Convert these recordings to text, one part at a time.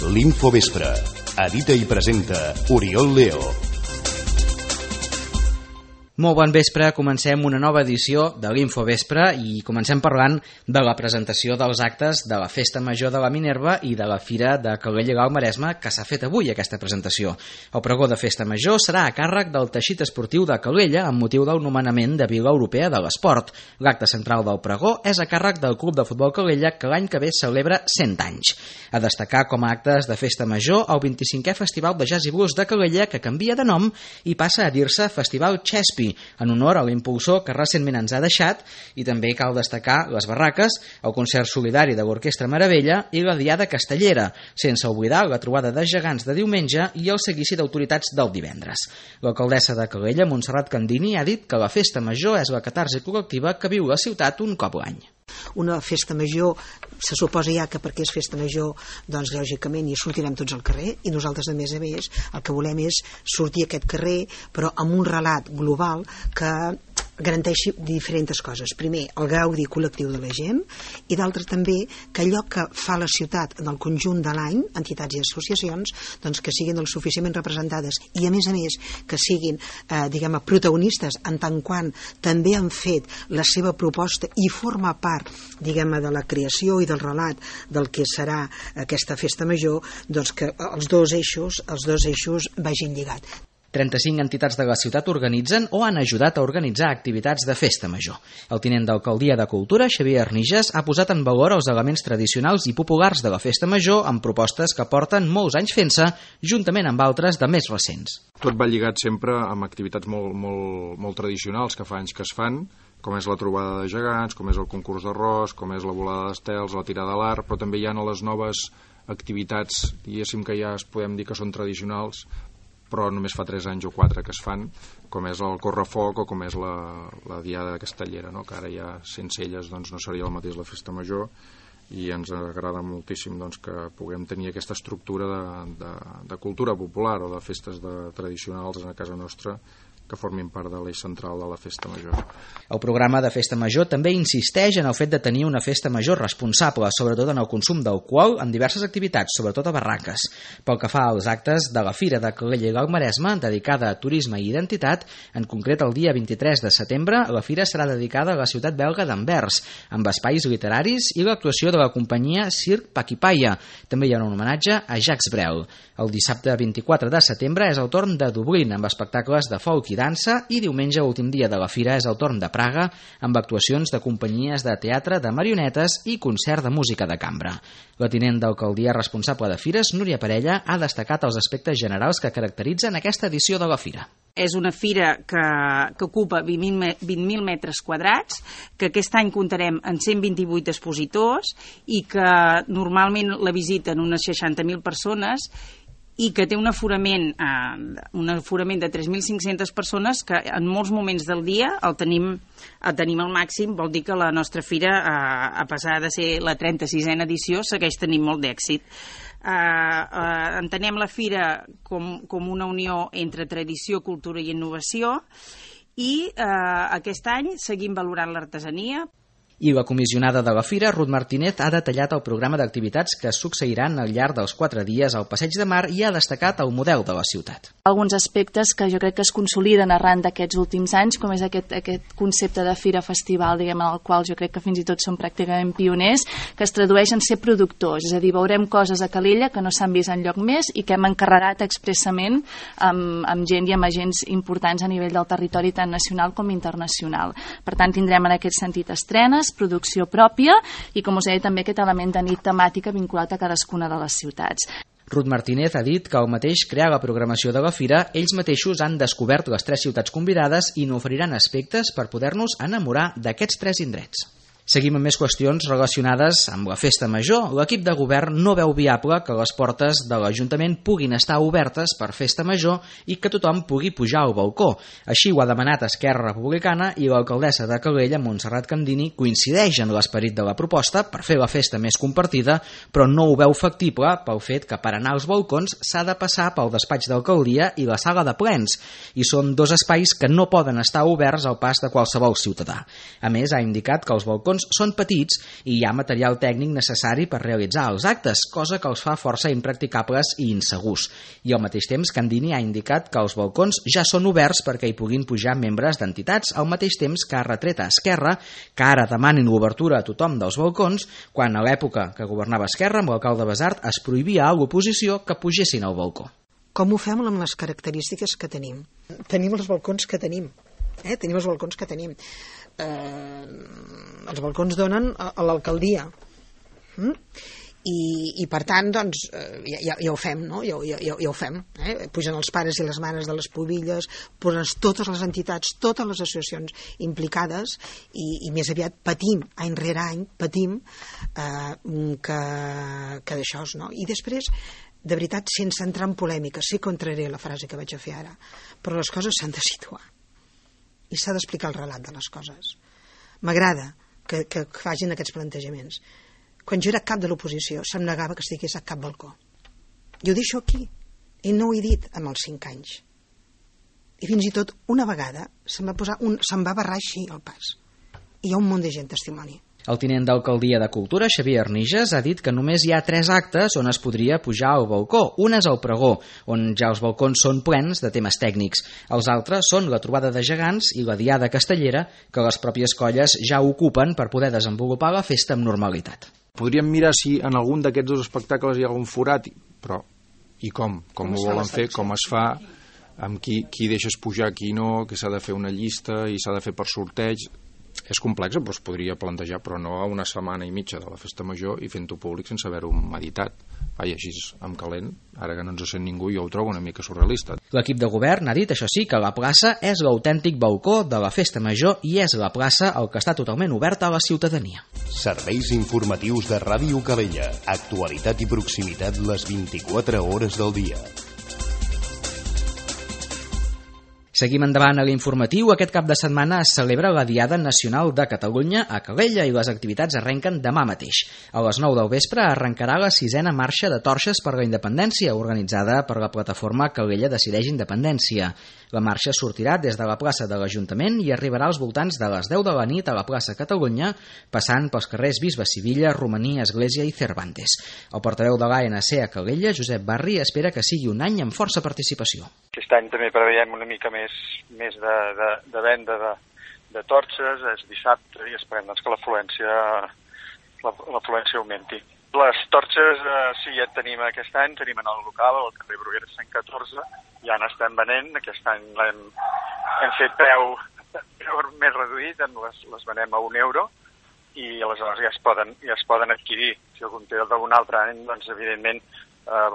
L'Infovespre. Edita i presenta Oriol Leo. Molt bon vespre, comencem una nova edició de l'Infovespre i comencem parlant de la presentació dels actes de la Festa Major de la Minerva i de la Fira de Calella i l'Alt Maresme, que s'ha fet avui aquesta presentació. El pregó de Festa Major serà a càrrec del teixit esportiu de Calella amb motiu del nomenament de Vila Europea de l'Esport. L'acte central del pregó és a càrrec del Club de Futbol Calella, que l'any que ve celebra 100 anys. A destacar com a actes de Festa Major el 25è Festival de Jazz i Blues de Calella, que canvia de nom i passa a dir-se Festival Chespi, en honor a l'impulsor que recentment ens ha deixat, i també cal destacar les barraques, el concert solidari de l'Orquestra Meravella i la Diada Castellera, sense oblidar la trobada de gegants de diumenge i el seguici d'autoritats del divendres. L'alcaldessa de Calella, Montserrat Candini, ha dit que la Festa Major és la catarsi col·lectiva que viu la ciutat un cop l'any. Una festa major, se suposa ja que perquè és festa major, doncs lògicament hi sortirem tots al carrer, i nosaltres a més el que volem és sortir a aquest carrer però amb un relat global que garanteixi diferents coses. Primer, el gaudi col·lectiu de la gent, i d'altre també que allò que fa la ciutat en el conjunt de l'any, entitats i associacions, doncs que siguin suficientment representades i a més que siguin protagonistes en tant quant també han fet la seva proposta i forma part de la creació i del relat del que serà aquesta festa major, doncs que els dos eixos vagin lligats. 35 entitats de la ciutat organitzen o han ajudat a organitzar activitats de festa major. El tinent d'Alcaldia de Cultura, Xavier Arnijas, ha posat en valor els elements tradicionals i populars de la festa major amb propostes que porten molts anys fent-se, juntament amb altres de més recents. Tot va lligat sempre amb activitats molt tradicionals que fa anys que es fan, com és la trobada de gegants, com és el concurs d'arròs, com és la volada d'estels, la tirada a l'arc, però també hi ha les noves activitats, diguéssim que ja es podem dir que són tradicionals, però només fa 3 anys o 4 que es fan, com és el correfoc o com és la Diada Castellera, no? Que ara ja sense elles doncs, no seria el mateix la festa major, i ens agrada moltíssim doncs, que puguem tenir aquesta estructura de cultura popular o de festes tradicionals a casa nostra que formin part de l'eix central de la festa major. El programa de festa major també insisteix en el fet de tenir una festa major responsable, sobretot en el consum d'alcohol en diverses activitats, sobretot a barraques. Pel que fa als actes de la Fira de Calella i l'Alt Maresme, dedicada a turisme i identitat, en concret el dia 23 de setembre, la fira serà dedicada a la ciutat belga d'Anvers, amb espais literaris i l'actuació de la companyia Circ Paquipaia. També hi ha un homenatge a Jacques Brel. El dissabte 24 de setembre és el torn de Dublín, amb espectacles de folk i dansa, i diumenge, últim dia de la fira, és el torn de Praga, amb actuacions de companyies de teatre, de marionetes i concert de música de cambra. La tinent d'alcaldia responsable de fires, Núria Parella, ha destacat els aspectes generals que caracteritzen aquesta edició de la fira. És una fira que ocupa 20.000 metres quadrats, que aquest any comptarem en 128 expositors i que normalment la visiten unes 60.000 persones, i que té un aforament de 3.500 persones que en molts moments del dia el tenim al màxim. Vol dir que la nostra fira, a pesar de ser la 36a edició, segueix tenint molt d'èxit. Entenem la fira com una unió entre tradició, cultura i innovació, i aquest any seguim valorant l'artesania. I la comissionada de la fira, Ruth Martínez, ha detallat el programa d'activitats que succeiran al llarg dels 4 dies al Passeig de Mar i ha destacat el model de la ciutat. Alguns aspectes que jo crec que es consoliden arran d'aquests últims anys, com és aquest concepte de fira-festival, en el qual jo crec que fins i tot som pràcticament pioners, que es tradueix en ser productors, és a dir, veurem coses a Calella que no s'han vist enlloc més i que hem encarregat expressament amb gent i amb agents importants a nivell del territori tant nacional com internacional. Per tant, tindrem en aquest sentit estrenes, producció pròpia i, com us deia, també aquest element de nit temàtica vinculat a cadascuna de les ciutats. Ruth Martínez ha dit que al mateix crear la programació de la fira, ells mateixos han descobert les 3 ciutats convidades i n'oferiran aspectes per poder-nos enamorar d'aquests 3 indrets. Seguim amb més qüestions relacionades amb la festa major. L'equip de govern no veu viable que les portes de l'Ajuntament puguin estar obertes per festa major i que tothom pugui pujar al balcó. Així ho ha demanat Esquerra Republicana i l'alcaldessa de Calella, Montserrat Candini, coincideix en l'esperit de la proposta per fer la festa més compartida, però no ho veu factible pel fet que per anar als balcons s'ha de passar pel despatx d'alcaldia i la sala de plens, i són 2 espais que no poden estar oberts al pas de qualsevol ciutadà. A més, ha indicat que els balcons balcons són petits i hi ha material tècnic necessari per realitzar els actes, cosa que els fa força impracticables i insegurs. I al mateix temps, Candini ha indicat que els balcons ja són oberts perquè hi puguin pujar membres d'entitats, al mateix temps que ha retret a Esquerra que ara demanin l'obertura a tothom dels balcons, quan a l'època que governava Esquerra amb l'alcalde Basart es prohibia a l'oposició que pugessin al balcó. Com ho fem amb les característiques que tenim? Tenim els balcons que tenim. Tenim els balcons que tenim. Els balcons donen a l'alcaldia. I per tant, doncs, ja ho fem, no? Ja ho fem. Pugen els pares i les mares de les pobilles, posen totes les entitats, totes les associacions implicades i més aviat patim, any rere any, patim que d'això, no? I després, de veritat, sense entrar en polèmica, sí que entraré la frase que vaig a fer ara, però les coses s'han de situar i s'ha d'explicar el relat de les coses. M'agrada que facin aquests plantejaments. Quan jo era cap de l'oposició se'm negava que estigués a cap balcó. Jo ho deixo aquí i no ho he dit amb els 5 anys. I fins i tot una vegada se'm va barrar així el pas. I hi ha un munt de gent testimoni. El tinent d'alcaldia de Cultura, Xavier Arniges, ha dit que només hi ha 3 actes on es podria pujar al balcó. Un és el pregó, on ja els balcons són plens de temes tècnics. Els altres són la trobada de gegants i la diada castellera, que les pròpies colles ja ocupen per poder desenvolupar la festa amb normalitat. Podríem mirar si en algun d'aquests 2 espectacles hi ha algun forat, però i com? Com ho volen fer? Com es fa? Amb qui deixes pujar, qui no? Que s'ha de fer una llista i s'ha de fer per sorteig? És complex, però es podria plantejar, però no a una setmana i mitja de la festa major i fent-ho públic sense haver-ho meditat. Vaja, així amb calent, ara que no ens sent ningú, jo ho trobo una mica surrealista. L'equip de govern ha dit, això sí, que la plaça és l'autèntic balcó de la festa major i és la plaça el que està totalment oberta a la ciutadania. Serveis informatius de Ràdio Calella. Actualitat i proximitat les 24 hores del dia. Seguim endavant a l'informatiu. Aquest cap de setmana es celebra la Diada Nacional de Catalunya a Calella i les activitats arrenquen demà mateix. A les 9 del vespre arrencarà la 6a marxa de torxes per la independència, organitzada per la plataforma Calella Decideix Independència. La marxa sortirà des de la plaça de l'Ajuntament i arribarà als voltants de les 10 de la nit a la plaça Catalunya, passant pels carrers Bisbe Sivilla, Romaní, Església i Cervantes. El portaveu de l'ANC a Calella, Josep Barri, espera que sigui un any amb força participació. Aquest any també preveiem una mica més de venda de torxes, és dissabte i esperem doncs, que l'afluència augmenti. Les torxes sí, ja tenim aquest any, tenim en el local, al carrer Bruguera 114, ja n'estem venent, aquest any hem fet preu més reduït, les venem a €1 i aleshores ja es poden adquirir. Si algun té d'algun altre any, doncs evidentment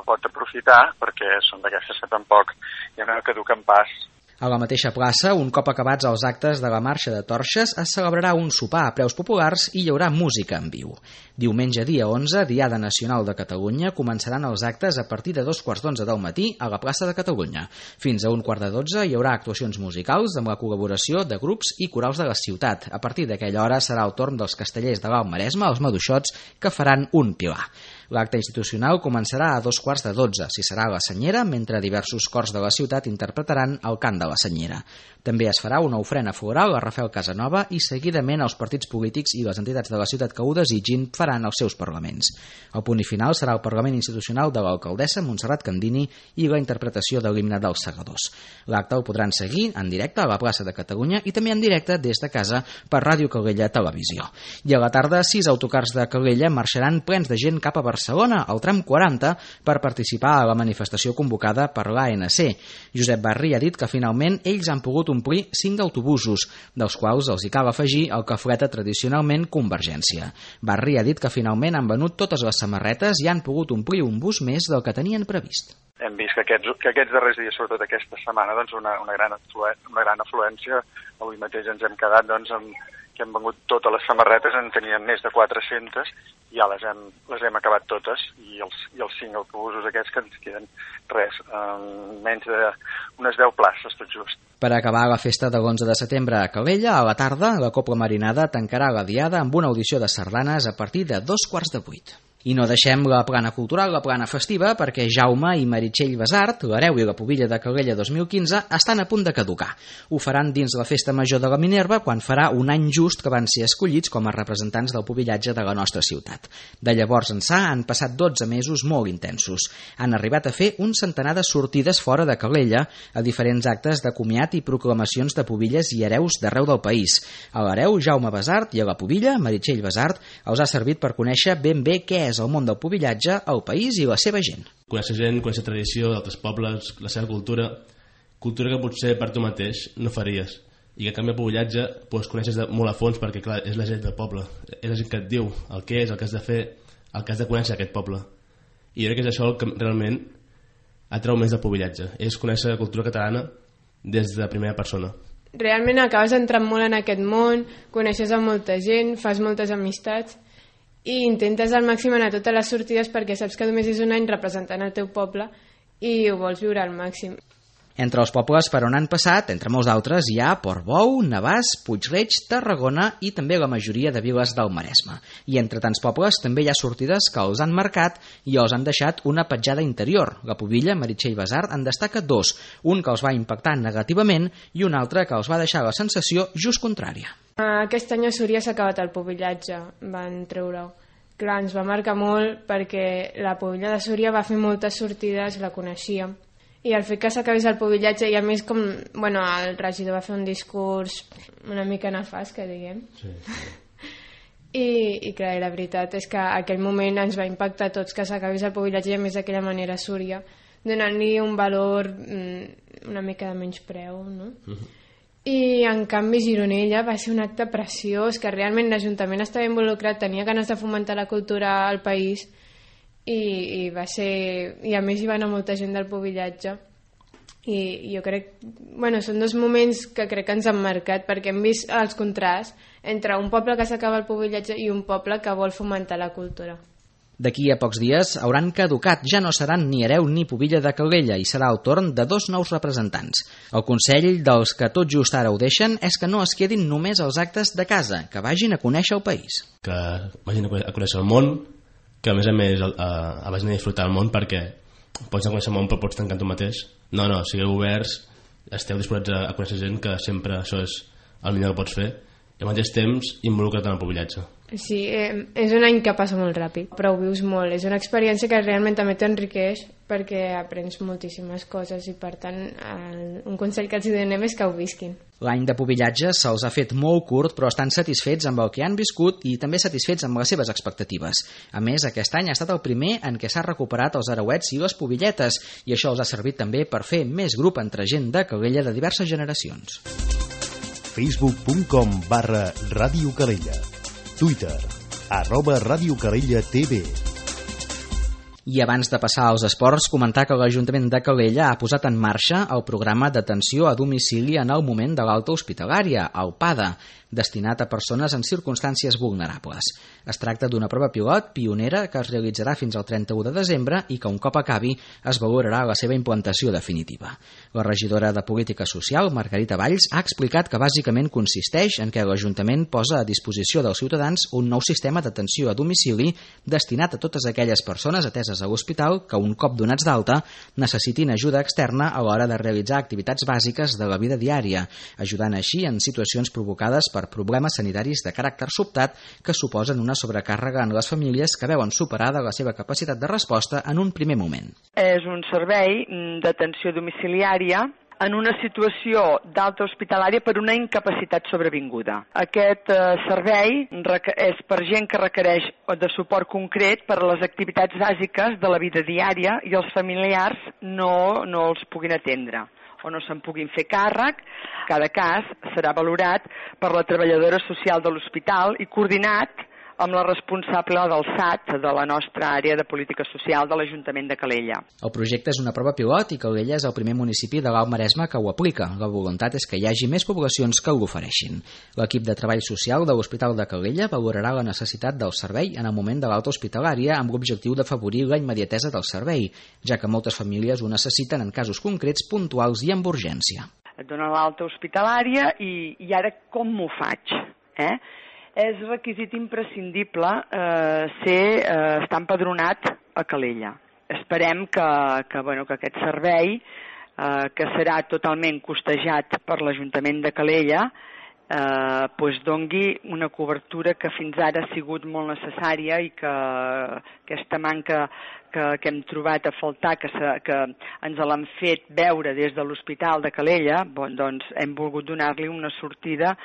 pot aprofitar perquè són d'aquestes que tampoc ja no caduquen pas. A la mateixa plaça, un cop acabats els actes de la marxa de torxes, es celebrarà un sopar a preus populars i hi haurà música en viu. Diumenge, dia 11, Diada Nacional de Catalunya, començaran els actes a partir de 2:15 del matí a la plaça de Catalunya. Fins a 1:15 hi haurà actuacions musicals amb la col·laboració de grups i corals de la ciutat. A partir d'aquella hora serà el torn dels castellers de l'Alt Maresme, els maduixots, que faran un pilar. L'acte institucional començarà a 2:15, si serà a la Senyera, mentre diversos cors de la ciutat interpretaran el cant de la Senyera. També es farà una ofrena floral a Rafael Casanova i seguidament els partits polítics i les entitats de la ciutat que ho desitgin faran els seus parlaments. El punt final serà el Parlament Institucional de l'alcaldessa Montserrat Candini i la interpretació de l'himne dels Segadors. L'acte el podran seguir en directe a la plaça de Catalunya i també en directe des de casa per Ràdio Calella Televisió. I a la tarda, 6 autocars de Calella marxaran plens de gent cap a Barcelona, al tram 40, per participar a la manifestació convocada per l'ANC. Josep Barri ha dit que finalment ells han pogut omplir 5 autobusos, dels quals els hi cal afegir el que fleta tradicionalment Convergència. Barri ha dit que finalment han venut totes les samarretes i han pogut omplir un bus més del que tenien previst. Hem vist que aquests darrers dies, sobretot aquesta setmana, doncs una gran afluència. Avui mateix ens hem quedat que hem venut totes les samarretes, en teníem més de 400, i ja les hem acabat totes, i els 5 autobusos aquests que ens queden menys d'unes 10 places, tot just. Per acabar la festa de l'11 de setembre a Calella, a la tarda, la Cobla Marinada tancarà la diada amb una audició de sardanes a partir de 7:45. I no deixem la plana cultural, la plana festiva, perquè Jaume i Meritxell Besart, l'hereu i la pubilla de Calella 2015, estan a punt de caducar. Ho faran dins la Festa Major de la Minerva quan farà un any just que van ser escollits com a representants del pubillatge de la nostra ciutat. De llavors ençà han passat 12 mesos molt intensos. Han arribat a fer un centenar de sortides fora de Calella a diferents actes de comiat i proclamacions de pubilles i hereus d'arreu del país. A l'hereu Jaume Besart i a la pubilla Meritxell Besart els ha servit per conèixer ben bé què és el món del pubillatge, el país i la seva gent. Conèixer gent, conèixer tradició d'altres pobles, la seva cultura que potser per tu mateix no faries. I que a canvi el pubillatge coneixes molt a fons perquè clar, és la gent del poble, és la gent que et diu el que és, el que has de fer, el que has de conèixer aquest poble. I jo crec que és això el que realment atrau més del pubillatge, és conèixer la cultura catalana des de primera persona. Realment acabes entrant molt en aquest món, coneixes a molta gent, fas moltes amistats i intentes al màxim anar a totes les sortides perquè saps que només és un any representant el teu poble i ho vols viure al màxim. Entre els pobles per on han passat, entre molts d'altres, hi ha Portbou, Navàs, Puig-reig, Tarragona i també la majoria de viles del Maresme. I entre tants pobles també hi ha sortides que els han marcat i els han deixat una petjada interior. La pubilla, Meritxell Besart, en destaca 2, un que els va impactar negativament i un altre que els va deixar la sensació just contrària. Aquest any a Súria s'ha acabat el pubillatge, van treure-ho. Clar, ens va marcar molt perquè la pubilla de Súria va fer moltes sortides, la coneixíem. I el fet que s'acabés el pubillatge i a més com, bueno, el regidor va fer un discurs una mica nefast, que diguem. Sí. I clar, la veritat és que aquell moment ens va impactar a tots que s'acabés el pubillatge i a més d'aquella manera a Súria, donant-li un valor una mica de menyspreu, no? I en canvi Gironella va ser un acte preciós, que realment l'Ajuntament estava involucrat, tenia ganes de fomentar la cultura al país i va ser, i a més hi va anar molta gent del pubillatge i jo crec, bueno, són 2 moments que crec que ens han marcat perquè hem vist els contrasts entre un poble que s'acaba el pubillatge i un poble que vol fomentar la cultura. D'aquí a pocs dies hauran caducat, ja no seran ni hereu ni pubilla de Calella i serà el torn de 2 nous representants. El consell dels que tot just ara ho deixen és que no es quedin només als actes de casa, que vagin a conèixer el país. Que vagin a conèixer el món, que a més vagin a disfrutar el món perquè pots conèixer el món però pots tancar tu mateix. No, sigueu oberts, esteu disposats a conèixer gent, que sempre això és el millor que pots fer i al mateix temps involucra't en el pubillatge. Sí, és un any que passa molt ràpid, però ho vius molt. És una experiència que realment també t'enriqueix perquè aprens moltíssimes coses i per tant un consell que els donem és que ho visquin. L'any de pubillatge se'ls ha fet molt curt però estan satisfets amb el que han viscut i també satisfets amb les seves expectatives. A més, aquest any ha estat el primer en què s'ha recuperat els arauets i les pubilletes i això els ha servit també per fer més grup entre gent de Calella de diverses generacions. Facebook.com/Ràdio Calella, Twitter, @Ràdio Calella TV. I abans de passar als esports, comentar que l'Ajuntament de Calella ha posat en marxa el programa d'atenció a domicili en el moment de l'alta hospitalària, el PADA, destinat a persones en circumstàncies vulnerables. Es tracta d'una prova pilot pionera que es realitzarà fins al 31 de desembre i que un cop acabi es valorarà la seva implantació definitiva. La regidora de Política Social, Margarita Valls, ha explicat que bàsicament consisteix en què l'Ajuntament posa a disposició dels ciutadans un nou sistema d'atenció a domicili destinat a totes aquelles persones ateses a l'hospital que un cop donats d'alta necessitin ajuda externa a l'hora de realitzar activitats bàsiques de la vida diària, ajudant així en situacions provocades per problemes sanitaris de caràcter sobtat que suposen una sobrecàrrega en les famílies que veuen superada la seva capacitat de resposta en un primer moment. És un servei d'atenció domiciliària en una situació d'alta hospitalària per una incapacitat sobrevinguda. Aquest servei és per gent que requereix de suport concret per a les activitats bàsiques de la vida diària i els familiars no els puguin atendre o no se'n puguin fer càrrec. Cada cas serà valorat per la treballadora social de l'hospital i coordinat amb la responsable del SAT, de la nostra àrea de política social de l'Ajuntament de Calella. El projecte és una prova pilot i Calella és el primer municipi de l'Alt Maresme que ho aplica. La voluntat és que hi hagi més poblacions que l'ofereixin. L'equip de treball social de l'Hospital de Calella valorarà la necessitat del servei en el moment de l'alta hospitalària amb l'objectiu d'afavorir la immediatesa del servei, ja que moltes famílies ho necessiten en casos concrets, puntuals i amb urgència. Et donen l'alta hospitalària i ara com m'ho faig? és requisit imprescindible estar empadronat a Calella. Esperem que aquest servei, que serà totalment costejat per l'Ajuntament de Calella, dongui una cobertura que fins ara ha sigut molt necessària i que aquesta manca que hem trobat a faltar, que ens l'han fet veure des de l'Hospital de Calella, doncs hem volgut donar-li una sortida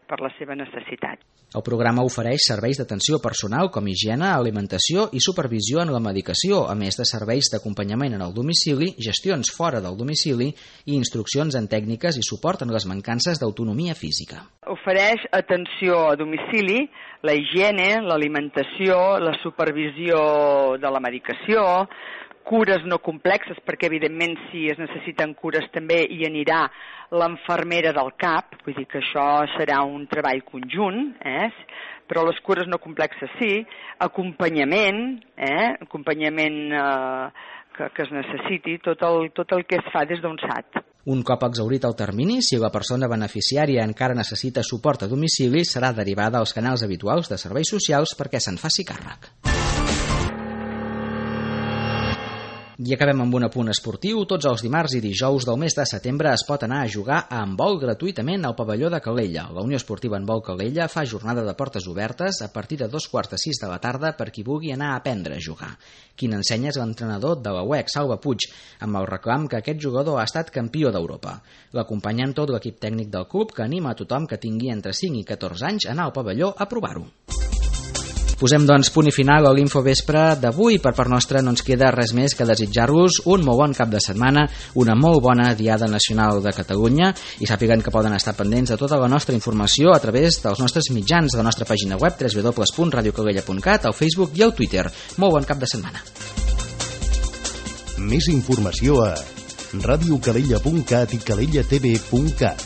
per la seva necessitat. El programa ofereix serveis d'atenció personal com higiene, alimentació i supervisió en la medicació, a més de serveis d'acompanyament en el domicili, gestions fora del domicili i instruccions en tècniques i suport en les mancances d'autonomia física. Ofereix atenció a domicili, la higiene, l'alimentació, la supervisió de la medicació, cures no complexes, perquè evidentment si es necessiten cures també hi anirà l'infermera del CAP, vull dir que això serà un treball conjunt, però les cures no complexes sí, acompanyament que es necessiti, tot el que es fa des d'un SAT. Un cop exhaurit el termini, si la persona beneficiària encara necessita suport a domicili, serà derivada als canals habituals de serveis socials perquè se'n faci càrrec. I acabem amb un apunt esportiu. Tots els dimarts i dijous del mes de setembre es pot anar a jugar a handbol gratuïtament al pavelló de Calella. La Unió Esportiva Handbol Calella fa jornada de portes obertes a partir de 5:45 de la tarda per qui vulgui anar a aprendre a jugar. Qui n'ensenya és l'entrenador de la UEC, Salva Puig, amb el reclam que aquest jugador ha estat campió d'Europa. L'acompanyen tot l'equip tècnic del club, que anima a tothom que tingui entre 5 i 14 anys a anar al pavelló a provar-ho. Posem, doncs, punt i final a l'Infovespre d'avui. Per part nostra no ens queda res més que desitjar-vos un molt bon cap de setmana, una molt bona Diada Nacional de Catalunya, i sàpiguen que poden estar pendents de tota la nostra informació a través dels nostres mitjans, de la nostra pàgina web www.radiocalella.cat, al Facebook i al Twitter. Molt bon cap de setmana. Més informació a radiocalella.cat i calellatv.cat.